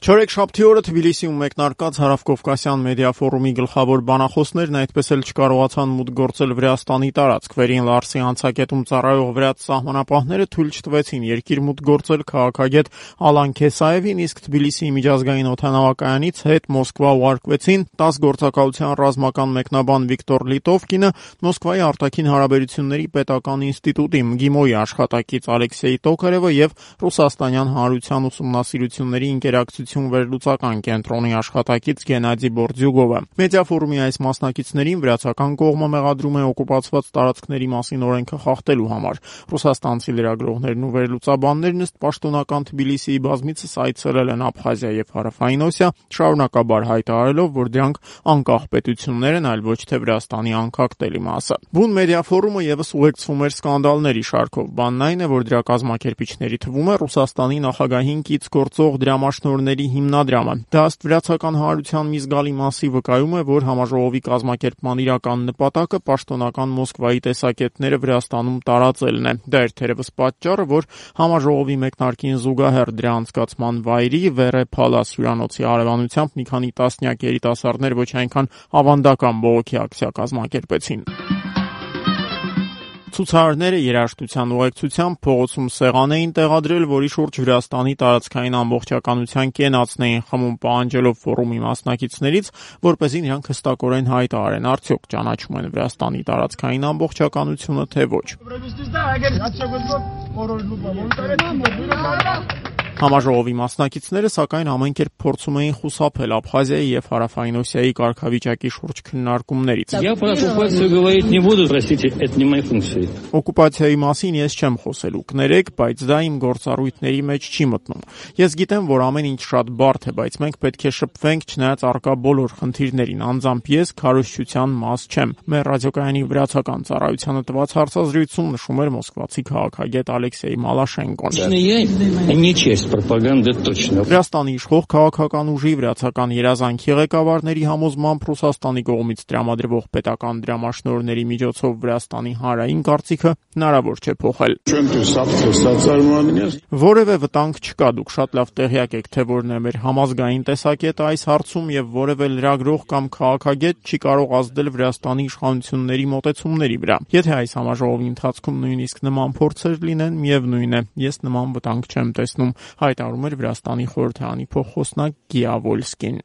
Չորեքշաբթի օրը Թբիլիսիում մեկնարկած Հարավկովկասյան մեդիա ֆորումի գլխավոր բանախոսներն այդպես էլ չկարողացան մուտք գործել Վրաստանի տարածք։ Վերին Լարսի անցակետում ծառայող վրաց սահմանապահները թույլ չտվեցին երկիր մուտք գործել քաղաքագետ Ալան Քեսաևին, իսկ Թբիլիսիի միջազգային օդանավակայանից հետ Մոսկվա ուղարկվեցին 10 գործակալության ռազմական մեկնաբան Վիկտոր Լիտովկինը, Մոսկվայի արտաքին հարաբերությունների պետական ինստիտուտի ՄԳԻՄՈ-ի աշխատակից Ալեքսեյ Տոկարևը եւ Ռուսաստանյան հանրության ուսումնասիրությունների ինտերակցիա վերլուծական կենտրոնի աշխատակից Գենադի Բորդյուգովը։ Մեդիա ֆորումի այս մասնակիցներին վրացական կողմը մեղադրում է օկուպացված տարածքների մասին օրենքը խախտելու համար։ Ռուսաստանցի լրագրողներն ու վերլուծաբաններն ըստ պաշտոնական Թբիլիսիի բազմիցս այցելել են Աբխազիա եւ Հարավային Օսիա, շարունակաբար հայտարարելով, որ դրանք անկախ պետություններ են, այլ ոչ թե Վրաստանի անկախտելի մասը։ Բուն մեդիա ֆորումը եւս ուղեկցվում էր սկանդալների շարքով։ Բանն այն է, որ դրա կազմակերպիչների թվում է Ռուսաստանի նախագահին կից գործող դրամաշնորհների հիմնադրամը։ Դա ըստ վրացական հանրության մի զգալի մասի վկայում է, որ համաժողովի կազմակերպման իրական նպատակը պաշտոնական Մոսկվայի տեսակետները Վրաստանում տարածելն է։ Դա էր թերևս պատճառը, որ համաժողովի մեկնարկին զուգահեռ դրա անցկացման վայրի Վերե Փալաս հյուրանոցի արևանությամբ մի քանի տասնյակ երիտասարդներ ոչ այնքան ավանդական բողոքի ակցիա կազմակերպեցին։ Ցուցարարները երաժշտության ուղեկցությամբ փողոցում սեղան էին տեղադրել, որի շուրջ Վրաստանի տարածքային ամբողջականության կենացն էին խմում, պահանջելով ֆորումի մասնակիցներից, որպեսզի նրանք հստակորեն հայտարարեն, արդյոք ճանաչում են Վրաստանի տարածքային ամբողջականությունը, թե ոչ։ Համաժողովի մասնակիցները սակայն ամեն կերպ փորձում էին խուսափել Աբխազիայի եւ Հարավային Օսիայի կարգավիճակի շուրջ քննարկումներից։ Օկուպացիայի մասին ես չեմ խոսելու, կներեք, բայց դա իմ գործառույթների մեջ չի մտնում։ Ես գիտեմ, որ ամեն ինչ շատ բարդ է, բայց մենք պետք է շփվենք չնայած առկա բոլոր խնդիրներին, անձամբ ես քարոզչության մաս չեմ։ Մեր ռադիոկայանի վրացական ծառայությանը տված հարցազրույցում նշում էր մոսկվացի քաղաքագետ Ալեքսեյ Մալաշենկոն։ Վրաստանի իշխող քաղաքական ուժի վրացական երազանքի ղեկավարների համոզմամբ Ռուսաստանի կողմից տրամադրվող պետական դրամաշնորհների միջոցով Վրաստանի հանրային կարծիքը հնարավոր չէ փոխել։ Որևէ վտանգ չկա, դուք շատ լավ տեղյակ եք, թե որն է մեր համազգային տեսակետը այս հարցում եւ որևէ լրագրող կամ քաղաքագետ չի կարող ազդել Վրաստանի իշխանությունների մոտեցումների վրա։ Եթե այս համաժողովի ընթացքում նույնիսկ նման փորձեր լինեն, միևնույն է, ես նման վտանգ չեմ տեսնում, հայտարարում էր Վրաստանի խորհրդարանի փոխխոսնակ Գիա Վոլսկին։